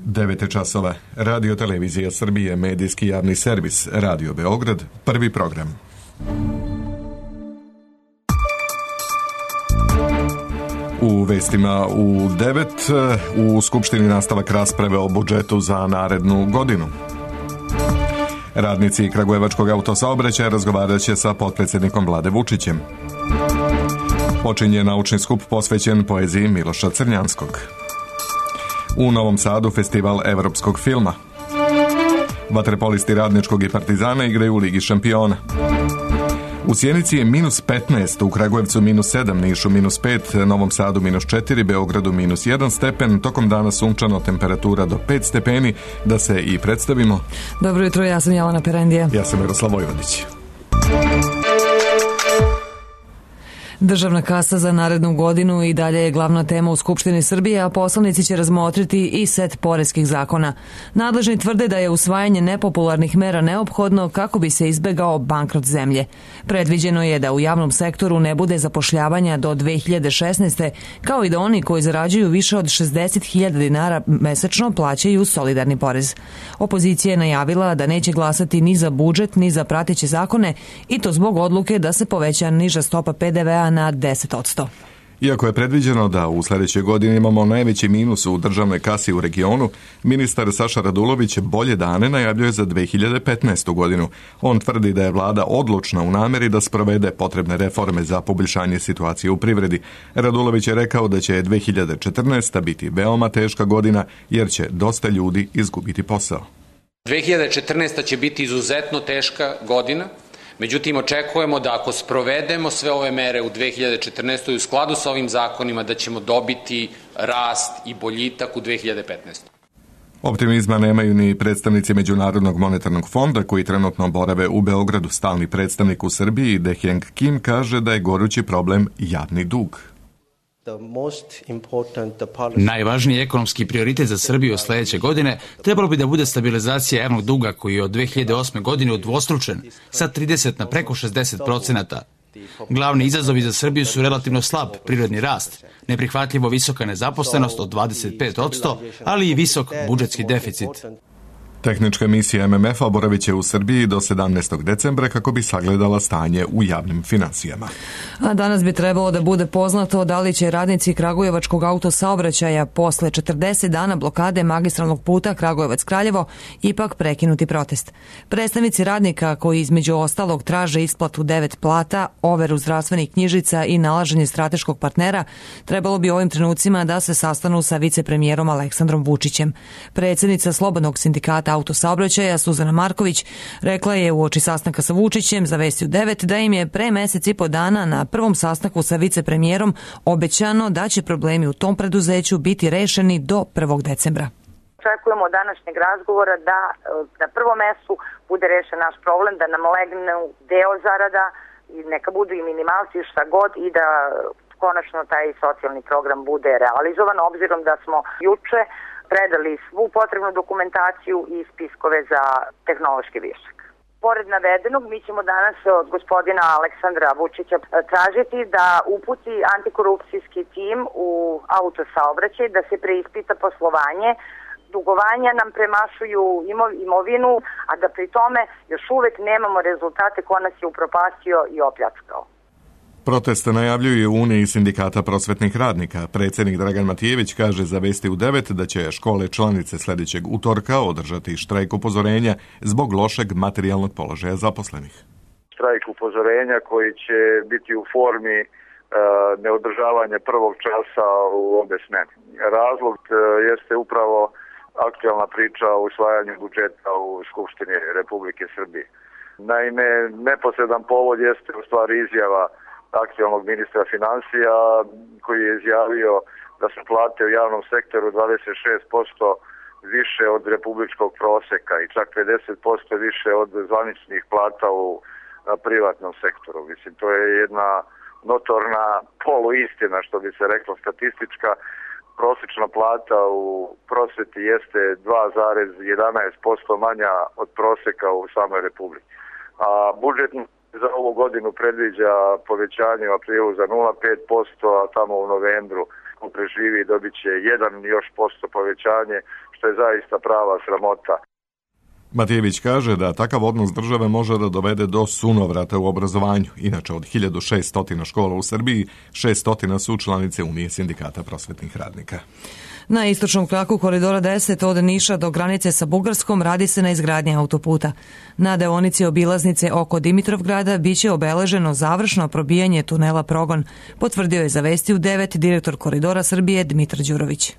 9 časova. Radio Televizija Srbije, medijski javni servis, Radio Beograd, prvi program. U vestima u 9, u Skupštini nastavak rasprave o budžetu za narednu godinu. Radnici Kragujevačkog autosaobraćaja razgovarat će sa potpredsjednikom Vlade Vučićem. Počinje naučni skup posvećen poeziji Miloša Crnjanskog. U Novom Sadu festival evropskog filma. Vaterpolisti Radničkog i Partizana igraju u Ligi šampiona. U Sjenici je -15, u Kragujevcu -7, Nišu -5, Novom Sadu -4, Beogradu -1 stepen, tokom dana sunčano, temperatura do 5 stepeni. Da se i predstavimo. Dobro jutro, ja sam Jelena Perendija. Ja sam Miroslav Vojvodić. Državna kasa za narednu godinu i dalje je glavna tema u Skupštini Srbije, a poslanici će razmotriti i set poreskih zakona. Nadležni tvrde da je usvajanje nepopularnih mera neophodno kako bi se izbegao bankrot zemlje. Predviđeno je da u javnom sektoru ne bude zapošljavanja do 2016. kao i da oni koji zarađuju više od 60.000 dinara mesečno plaćaju solidarni porez. Opozicija je najavila da neće glasati ni za budžet ni za prateće zakone i to zbog odluke da se poveća niža stopa PDV-a na 10%. Iako je predviđeno da u sljedećoj godini imamo najveći minus u državnoj kasi u regionu, ministar Saša Radulović bolje dane najavljuje za 2015. godinu. On tvrdi da je vlada odlučna u nameri da sprovede potrebne reforme za poboljšanje situacije u privredi. Radulović je rekao da će 2014. biti veoma teška godina jer će dosta ljudi izgubiti posao. 2014. će biti izuzetno teška godina. Međutim, očekujemo da ako sprovedemo sve ove mere u 2014. u skladu sa ovim zakonima, da ćemo dobiti rast i boljitak u 2015. Optimizma nemaju ni predstavnici Međunarodnog monetarnog fonda koji trenutno borave u Beogradu. Stalni predstavnik u Srbiji, Deheng Kim, kaže da je gorući problem javni dug. Najvažniji ekonomski prioritet za Srbiju od sljedeće godine trebalo bi da bude stabilizacija javnog duga koji je od 2008. godine udvostručen sa 30 na preko 60%. Glavni izazovi za Srbiju su relativno slab prirodni rast, neprihvatljivo visoka nezaposlenost od 25%, ali i visok budžetski deficit. Tehnička misija MMF-a boravit će u Srbiji do 17. decembra kako bi sagledala stanje u javnim finansijama. A danas bi trebalo da bude poznato da li će radnici Kragujevačkog autosaobraćaja posle 40 dana blokade magistralnog puta Kragujevac-Kraljevo ipak prekinuti protest. Predstavnici radnika koji između ostalog traže isplatu 9 plata, overu zdravstvenih knjižica i nalaženje strateškog partnera, trebalo bi ovim trenucima da se sastanu sa vicepremijerom Aleksandrom Vučićem. Predsjednica Slobodnog sindikata autosaobraćaja Suzana Marković rekla je uoči sastanka sa Vučićem za Vesti u 9 da im je pre mesec i po dana na prvom sastanku sa vicepremijerom obećano da će problemi u tom preduzeću biti rešeni do 1. decembra. Očekujemo od današnjeg razgovora da na prvom mestu bude rešen naš problem, da nam legne deo zarada i neka budu i minimalci šta god i da konačno taj socijalni program bude realizovan, obzirom da smo juče predali svu potrebnu dokumentaciju i spiskove za tehnološki višak. Pored navedenog, mi ćemo danas od gospodina Aleksandra Vučića tražiti da uputi antikorupcijski tim u autosaobraćaj, da se preispita poslovanje. Dugovanja nam premašuju imovinu, a da pri tome još uvek nemamo rezultate ko nas je upropastio i opljačkao. Protest najavljuju u Uniji sindikata prosvetnih radnika. Predsjednik Dragan Matijević kaže za Vesti u 9 da će škole članice sljedećeg utorka održati štrajk upozorenja zbog lošeg materijalnog položaja zaposlenih. Štrajk upozorenja koji će biti u formi neodržavanja prvog časa u obe smene. Razlog jeste upravo aktualna priča o usvajanju budžeta u Skupštini Republike Srbije. Naime, neposredan povod jeste u stvari izjava aktualnog ministra finansija koji je izjavio da su plate u javnom sektoru 26% više od republičkog proseka i čak 50% više od zvaničnih plata u privatnom sektoru. Mislim, to je jedna notorna poluistina, što bi se reklo statistička. Prosječna plata u prosveti jeste 2,11% manja od proseka u samoj republici. A budžet za ovu godinu predviđa povećanje u aprilu za 0,5%, a tamo u novembru ko preživi dobit će 1% povećanje, što je zaista prava sramota. Matijević kaže da takav odnos države može da dovede do sunovrata u obrazovanju. Inače, od 1600 škola u Srbiji, 600 su članice Unije sindikata prosvetnih radnika. Na istočnom kraku koridora 10 od Niša do granice sa Bugarskom radi se na izgradnji autoputa. Na deonici obilaznice oko Dimitrovgrada biće obeleženo završno probijanje tunela Progon, potvrdio je za Vesti u 9 direktor koridora Srbije Dmitar Đurović.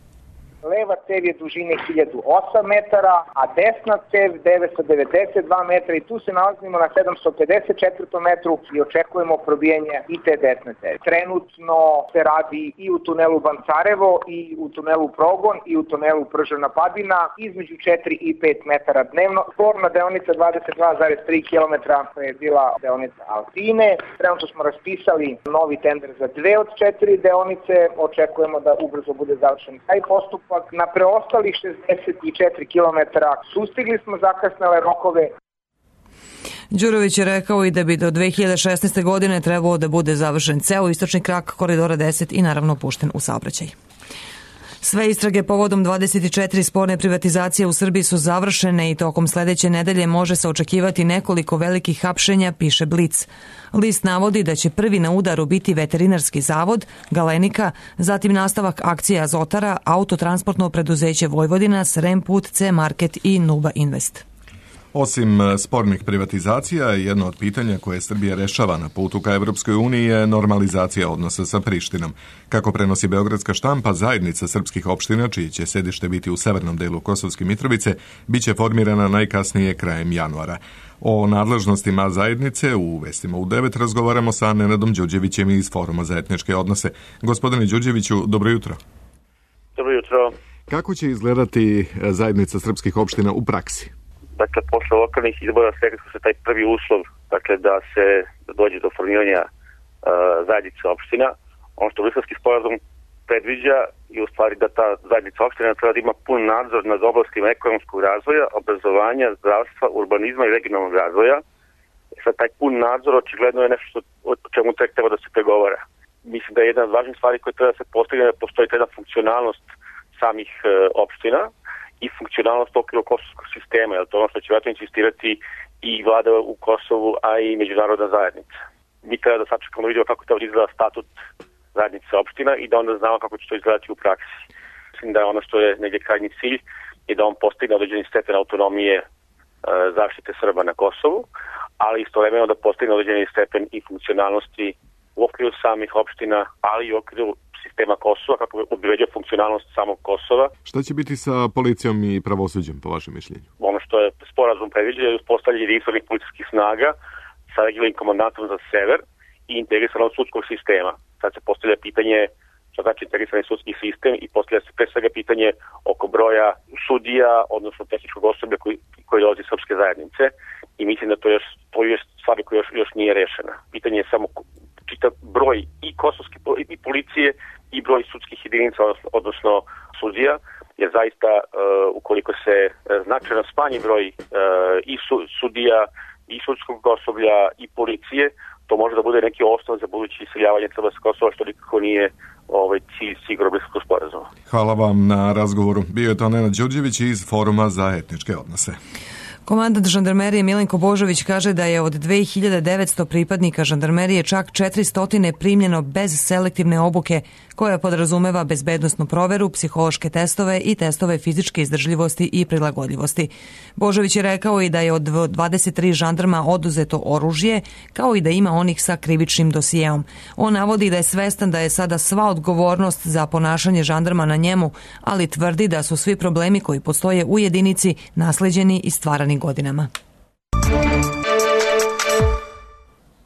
Leva cev je dužine 1008 metara, a desna cev 992 metra i tu se nalazimo na 754 metru i očekujemo probijanje i te desne cevi. Trenutno se radi i u tunelu Bancarevo, i u tunelu Progon, i u tunelu Prževna Padina, između 4 i 5 metara dnevno. Sporna deonica 22,3 km koja je bila deonica Altine. Trenutno smo raspisali novi tender za 2 od 4 deonice. Očekujemo da ubrzo bude završen taj postupak. Na preostalih 64 km sustigli smo zakasnele rokove. Đurović je rekao i da bi do 2016. godine trebalo da bude završen ceo istočni krak koridora 10 i naravno pušten u saobraćaj. Sve istrage povodom 24 sporne privatizacije u Srbiji su završene i tokom sledeće nedelje može se očekivati nekoliko velikih hapšenja, piše Blic. List navodi da će prvi na udaru biti Veterinarski zavod, Galenika, zatim nastavak akcije Azotara, Autotransportno preduzeće Vojvodina, Srem Put, C Market i Nuba Invest. Osim spornih privatizacija, jedno od pitanja koje Srbija rešava na putu ka Evropskoj uniji je normalizacija odnosa sa Prištinom. Kako prenosi Beogradska štampa, zajednica srpskih opština, čije će sedište biti u severnom delu Kosovske Mitrovice, biće formirana najkasnije krajem januara. O nadležnostima zajednice u Vestima u 9 razgovaramo sa Nenadom Đurđevićem iz Foruma za etničke odnose. Gospodine Đurđeviću, dobro jutro. Dobro jutro. Kako će izgledati zajednica srpskih opština u praksi? Dakle, posle lokalnih izbora stekli su se taj prvi uslov, dakle, da se dođe do formiranja zajednice opština. Ono što Briselski sporazum predviđa je u stvari da ta zajednica opština treba da ima pun nadzor nad oblastima ekonomskog razvoja, obrazovanja, zdravstva, urbanizma i regionalnog razvoja. Sad, taj pun nadzor očigledno je nešto o čemu tek treba da se pregovara. Mislim da je jedna od važnih stvari koje treba da se postigne da postoji jedna funkcionalnost samih opština i funkcionalnost okviru kosovskog sistema, jer to ono što će vjerojatno insistirati i vlada u Kosovu, a i međunarodna zajednica. Mi treba da sačekamo da vidimo kako to izgleda statut zajednice opština i da onda znamo kako će to izgledati u praksi. Mislim da je ono što je negdje krajnji cilj i da on postigne određeni stepen autonomije zaštite Srba na Kosovu, ali istovremeno da postigne određeni stepen i funkcionalnosti u okviru samih opština, ali i u okviru sistema Kosova, kako bi obezbedio funkcionalnost samog Kosova. Šta će biti sa policijom i pravosuđem, po vašem mišljenju? Ono što je sporazum predviđa je uspostavljanje jedinstvenih policijskih snaga sa regionalnim komandantom za sever i integrisanog sudskog sistema. Sad se postavlja pitanje šta znači integrisani sudski sistem i postavlja se pre svega pitanje oko broja sudija, odnosno tehničkog osoblja koji dolazi iz srpske zajednice i mislim da to je stvar koja još nije rešena. Pitanje je samo čitav broj i kosovske i policije i broj sudskih jedinica, odnosno sudija, jer zaista ukoliko se značajno smanji broj i sudija i sudskog osoblja i policije, to može da bude neki osnov za buduće iseljavanje Srba sa Kosova, što nikako nije cilj sigurno Briselskog sporazuma. Hvala vam na razgovoru. Bio je to Nenad Đurđević iz Foruma za etničke odnose. Komandant žandarmerije Milenko Božović kaže da je od 2900 pripadnika žandarmerije čak 400 primljeno bez selektivne obuke koja podrazumeva bezbednosnu proveru, psihološke testove i testove fizičke izdržljivosti i prilagodljivosti. Božović je rekao i da je od 23 žandarma oduzeto oružje, kao i da ima onih sa krivičnim dosijeom. On navodi da je svestan da je sada sva odgovornost za ponašanje žandarma na njemu, ali tvrdi da su svi problemi koji postoje u jedinici nasleđeni i stvarani godinama.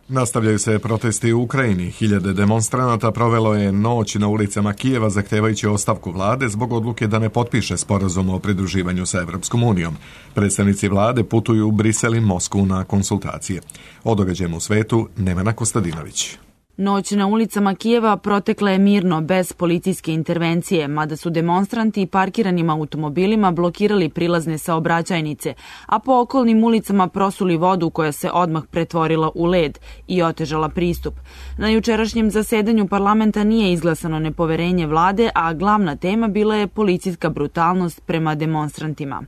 Nastavljaju se protesti u Ukrajini. Hiljade demonstranata provelo je noć na ulicama Kijeva zahtevajući ostavku vlade zbog odluke da ne potpiše sporazum o pridruživanju sa Evropskom unijom. Predstavnici vlade putuju u Brisel i Moskvu na konsultacije. O događajima u svetu Nevena Kostadinović. Noć na ulicama Kijeva protekla je mirno, bez policijske intervencije, mada su demonstranti parkiranim automobilima blokirali prilazne saobraćajnice, a po okolnim ulicama prosuli vodu koja se odmah pretvorila u led i otežala pristup. Na jučerašnjem zasedanju parlamenta nije izglasano nepoverenje vlade, a glavna tema bila je policijska brutalnost prema demonstrantima.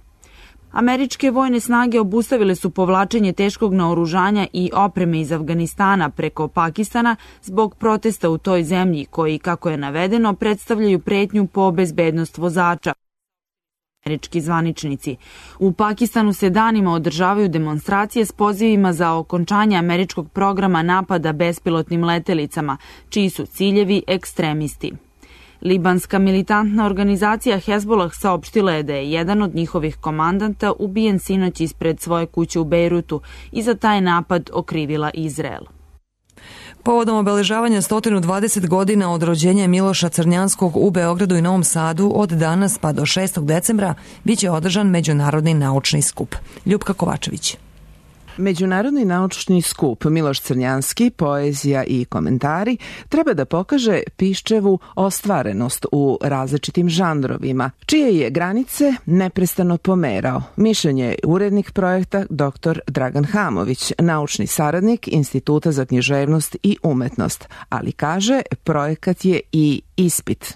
Američke vojne snage obustavile su povlačenje teškog naoružanja i opreme iz Afganistana preko Pakistana zbog protesta u toj zemlji koji, kako je navedeno, predstavljaju pretnju po bezbednost vozača. Američki zvaničnici. U Pakistanu se danima održavaju demonstracije s pozivima za okončanje američkog programa napada bespilotnim letelicama, čiji su ciljevi ekstremisti. Libanska militantna organizacija Hezbollah saopštila je da je jedan od njihovih komandanta ubijen sinoć ispred svoje kuće u Bejrutu i za taj napad okrivila Izrael. Povodom obeležavanja 120 godina od rođenja Miloša Crnjanskog u Beogradu i Novom Sadu od danas pa do 6. decembra biće održan Međunarodni naučni skup. Ljupka Kovačević. Međunarodni naučni skup Miloš Crnjanski, poezija i komentari treba da pokaže Piščevu ostvarenost u različitim žanrovima, čije je granice neprestano pomerao. Mišljenje je urednik projekta dr. Dragan Hamović, naučni saradnik Instituta za književnost i umetnost, ali kaže projekat je i ispit.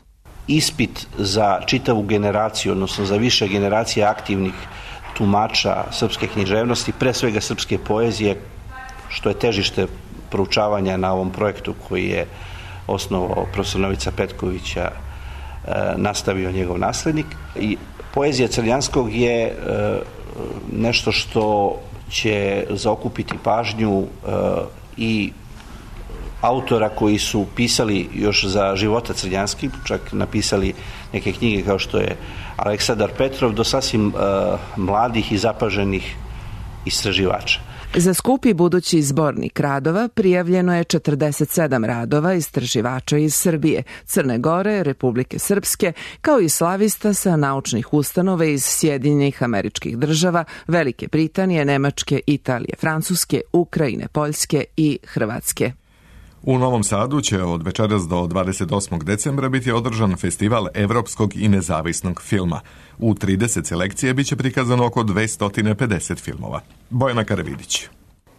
Ispit za čitavu generaciju, odnosno za više generacije aktivnih tumača srpske književnosti, pre svega srpske poezije, što je težište proučavanja na ovom projektu koji je osnovao profesor Novica Petkovića, nastavio njegov naslednik. I poezija Crnjanskog je nešto što će zaokupiti pažnju i autora koji su pisali još za života Crnjanski, čak napisali neke knjige kao što je Aleksandar Petrov, do sasvim mladih i zapaženih istraživača. Za skupi budući zbornik radova prijavljeno je 47 radova istraživača iz Srbije, Crne Gore, Republike Srpske, kao i slavista sa naučnih ustanova iz Sjedinjenih Američkih Država, Velike Britanije, Nemačke, Italije, Francuske, Ukrajine, Poljske i Hrvatske. U Novom Sadu će od večeras do 28. decembra biti održan festival evropskog i nezavisnog filma. U 30 selekcije biće prikazano oko 250 filmova. Bojana Karavidić.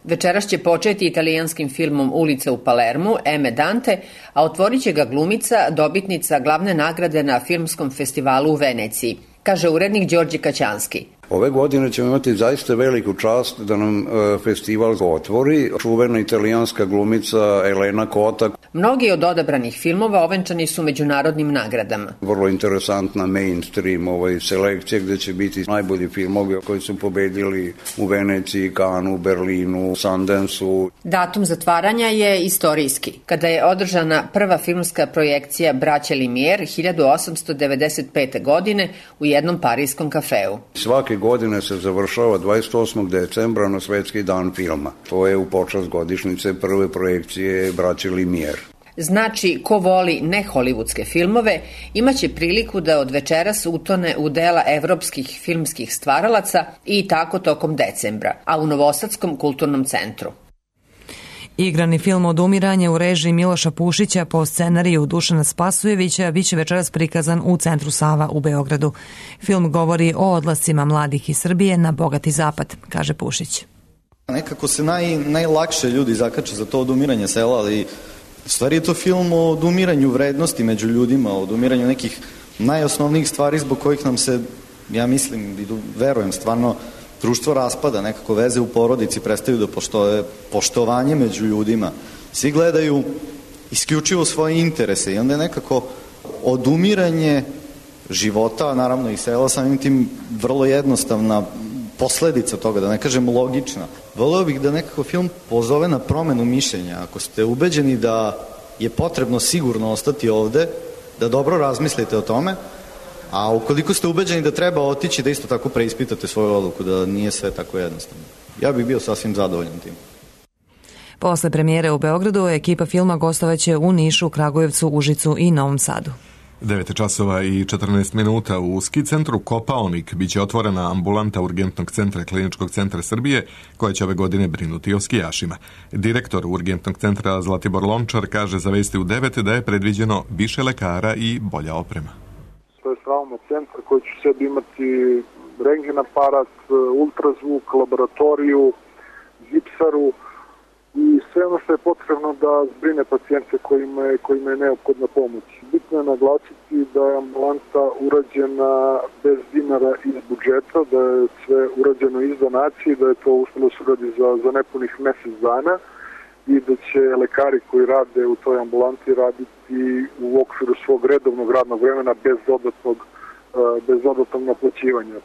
Večeras će početi italijanskim filmom Ulica u Palermu, Eme Dante, a otvorit će ga glumica, dobitnica glavne nagrade na filmskom festivalu u Veneciji, kaže urednik Đorđe Kaćanski. Ove godine ćemo imati zaista veliku čast da nam festival otvori čuvena italijanska glumica Elena Kota. Mnogi od odabranih filmova ovenčani su međunarodnim nagradama. Vrlo interesantna mainstream selekcija gde će biti najbolji filmovi koji su pobedili u Veneciji, Kanu, Berlinu, Sundanceu. Datum zatvaranja je istorijski, kada je održana prva filmska projekcija Braće Lumière 1895. godine u jednom parijskom kafeu. Svake godine se završava 28. decembra na Svetski dan filma. To je u počast godišnjice prve projekcije Braće Lumière. Znači, ko voli neholivudske filmove, imaće priliku da od večeras utone u dela evropskih filmskih stvaralaca i tako tokom decembra, a u Novosadskom kulturnom centru. Igrani film Odumiranje u režiji Miloša Pušića po scenariju Dušana Spasujevića biće večeras prikazan u Centru Sava u Beogradu. Film govori o odlascima mladih iz Srbije na bogati zapad, kaže Pušić. Nekako se najlakše ljudi zakače za to odumiranje sela, ali stvari je to film o odumiranju vrednosti među ljudima, o odumiranju nekih najosnovnijih stvari zbog kojih nam se, ja mislim i verujem stvarno, društvo raspada, nekako veze u porodici prestaju da postoje, poštovanje među ljudima. Svi gledaju isključivo svoje interese i onda je nekako odumiranje života, naravno i sela, samim tim vrlo jednostavna posledica toga, da ne kažem logična. Voleo bih da nekako film pozove na promenu mišljenja. Ako ste ubeđeni da je potrebno sigurno ostati ovde, da dobro razmislite o tome, a ukoliko ste ubeđeni da treba otići, da isto tako preispitate svoju odluku, da nije sve tako jednostavno. Ja bih bio sasvim zadovoljan tim. Posle premijere u Beogradu, ekipa filma gostovaće u Nišu, Kragujevcu, Užicu i Novom Sadu. 9 časova i 14 minuta u ski centru Kopaonik biće otvorena ambulanta Urgentnog centra Kliničkog centra Srbije koja će ove godine brinuti o skijašima. Direktor Urgentnog centra Zlatibor Lončar kaže za Vesti u 9 da je predviđeno više lekara i bolja oprema. To je trauma centar koji će sebi imati rentgen aparat, ultrazvuk, laboratoriju, gipsaru i sve ono što je potrebno da zbrine pacijente kojima je neophodna pomoć. Bitno je naglasiti da je ambulanta urađena bez dinara iz budžeta, da je sve urađeno iz donacije, da je to uspjelo se uradi za nepunih mjesec dana i da će lekari koji rade u toj ambulanti raditi u okviru svog redovnog radnog vremena bez dodatnog naplaćivanja.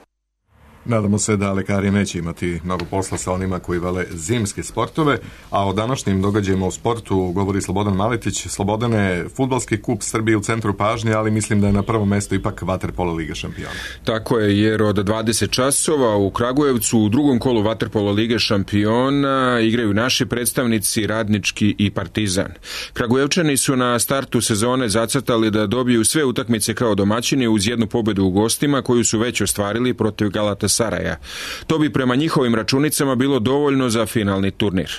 Nadamo se da lekari neće imati mnogo posla sa onima koji vole zimske sportove, a o današnjim događajima u sportu govori Slobodan Maletić. Slobodane, fudbalski kup Srbije u centru pažnje, ali mislim da je na prvom mjestu ipak vaterpolo Liga šampiona. Tako je, jer od 20 časova u Kragujevcu u drugom kolu vaterpolo Lige šampiona igraju naši predstavnici Radnički i Partizan. Kragujevčani su na startu sezone zacrtali da dobiju sve utakmice kao domaćini uz jednu pobjedu u gostima koju su već ostvarili protiv Galatasaraja. To bi prema njihovim računicama bilo dovoljno za finalni turnir.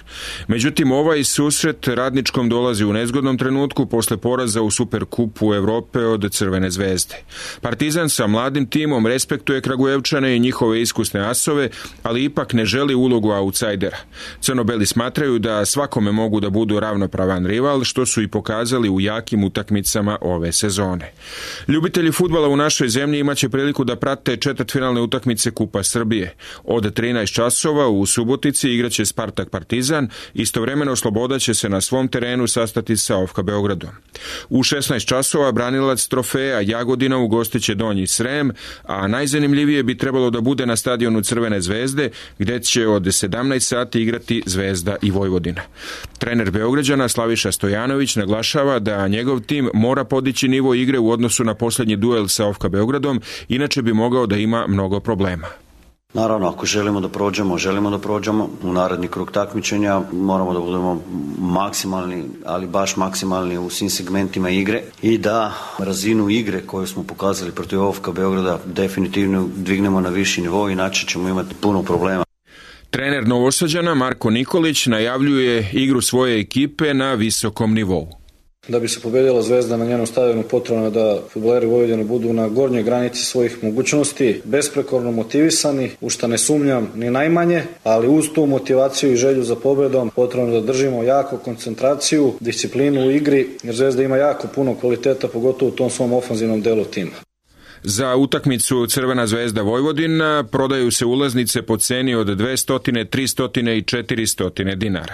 Međutim, ovaj susret Radničkom dolazi u nezgodnom trenutku posle poraza u Superkupu Evrope od Crvene zvezde. Partizan sa mladim timom respektuje Kragujevčane i njihove iskusne asove, ali ipak ne želi ulogu autsajdera. Crno-beli smatraju da svakome mogu da budu ravnopravan rival, što su i pokazali u jakim utakmicama ove sezone. Ljubitelji fudbala u našoj zemlji imaće priliku da prate četvrtfinalne utakmice Kupa Srbije. Od 13 časova u Subotici igraće Spartak Partizan, istovremeno Sloboda će se na svom terenu sastati sa OFK Beogradom. U 16 časova branilac trofeja Jagodina ugostiće Donji Srem, a najzanimljivije bi trebalo da bude na stadionu Crvene zvezde, gde će od 17 sati igrati Zvezda i Vojvodina. Trener Beograđana Slaviša Stojanović naglašava da njegov tim mora podići nivo igre u odnosu na posljednji duel sa OFK Beogradom, inače bi mogao da ima mnogo problema. Naravno, ako želimo da prođemo u naredni krug takmičenja, moramo da budemo maksimalni, ali baš maksimalni u svim segmentima igre i da razinu igre koju smo pokazali protiv OFK Beograda definitivno dignemo na viši nivo, inače ćemo imati puno problema. Trener Novosađana Marko Nikolić najavljuje igru svoje ekipe na visokom nivou. Da bi se pobedila Zvezda na njenom stadionu, potrebno je da fudbaleri Vojvodine budu na gornjoj granici svojih mogućnosti, besprekorno motivisani, u šta ne sumnjam ni najmanje, ali uz tu motivaciju i želju za pobedom potrebno da držimo jako koncentraciju, disciplinu u igri, jer Zvezda ima jako puno kvaliteta, pogotovo u tom svom ofanzivnom delu tima. Za utakmicu Crvena zvezda Vojvodina prodaju se ulaznice po ceni od 200, 300 i 400 dinara.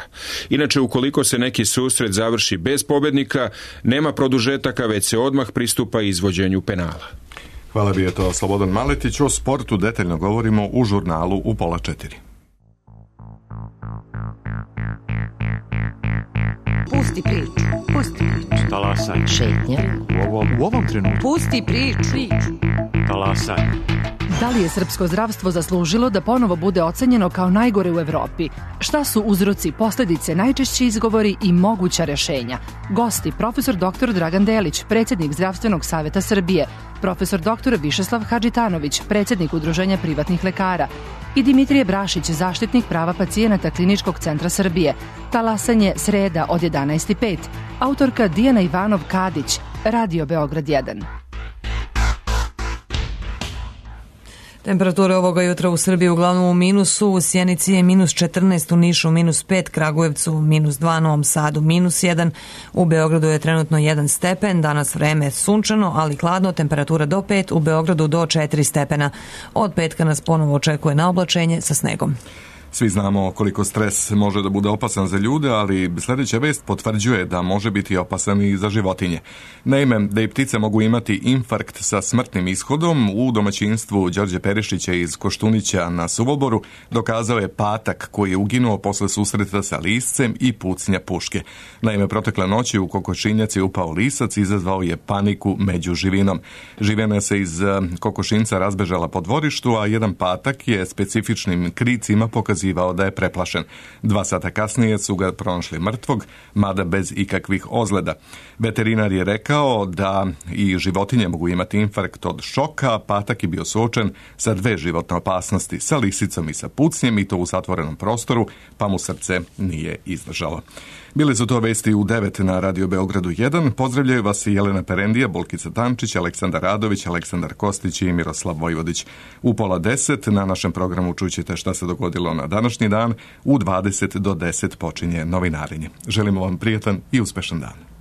Inače, ukoliko se neki susret završi bez pobednika, nema produžetaka, već se odmah pristupa izvođenju penala. Hvala, bi je to Slobodan Maletić. O sportu detaljno govorimo u žurnalu u 3:30. Pusti priču. Talasaj. Šetnja. U ovom trenutku. Pusti priču. Talasaj. Da li je srpsko zdravstvo zaslužilo da ponovo bude ocenjeno kao najgore u Evropi? Šta su uzroci, posljedice, najčešći izgovori i moguća rešenja? Gosti: profesor dr. Dragan Delić, predsjednik Zdravstvenog saveta Srbije, profesor dr. Višeslav Hadžitanović, predsjednik Udruženja privatnih lekara, i Dimitrije Brašić, zaštitnik prava pacijenata Kliničkog centra Srbije. Talasanje, sreda od 11:05. Autorka Dijana Ivanov-Kadić, Radio Beograd 1. Temperature ovoga jutra u Srbiji uglavnom u minusu, u Sjenici je -14, u Nišu -5, Kragujevcu -2, Novom Sadu -1, u Beogradu je trenutno 1 stepen, danas vreme je sunčano, ali hladno, temperatura do 5, u Beogradu do 4 stepena. Od petka nas ponovo očekuje naoblačenje sa snegom. Svi znamo koliko stres može da bude opasan za ljude, ali sljedeća vest potvrđuje da može biti opasan i za životinje. Naime, da i ptice mogu imati infarkt sa smrtnim ishodom, u domaćinstvu Đorđe Perišića iz Koštunića na Suvoboru dokazao je patak koji je uginuo posle susreta sa liscem i pucnja puške. Naime, protekle noći u kokošinjac je upao lisac, izazvao je paniku među živinom. Živina se iz kokošinca razbežala po dvorištu, a jedan patak je specifičnim kricima pokazivao dokazivao da je preplašen. 2 sata kasnije su ga pronašli mrtvog, mada bez ikakvih ozljeda. Veterinar je rekao da i životinje mogu imati infarkt od šoka, Patak je bio suočen sa 2 životne opasnosti, sa lisicom i sa pucnjem, i to u zatvorenom prostoru, pa mu srce nije izdržalo. Bili su to vesti u 9 na Radio Beogradu 1. Pozdravljaju vas i Jelena Perendija, Bolkica Tančić, Aleksandar Radović, Aleksandar Kostić i Miroslav Vojvodić. U 9:30 na našem programu čućete šta se dogodilo na današnji dan. U 20 do 10 počinje novinarenje. Želimo vam prijatan i uspešan dan.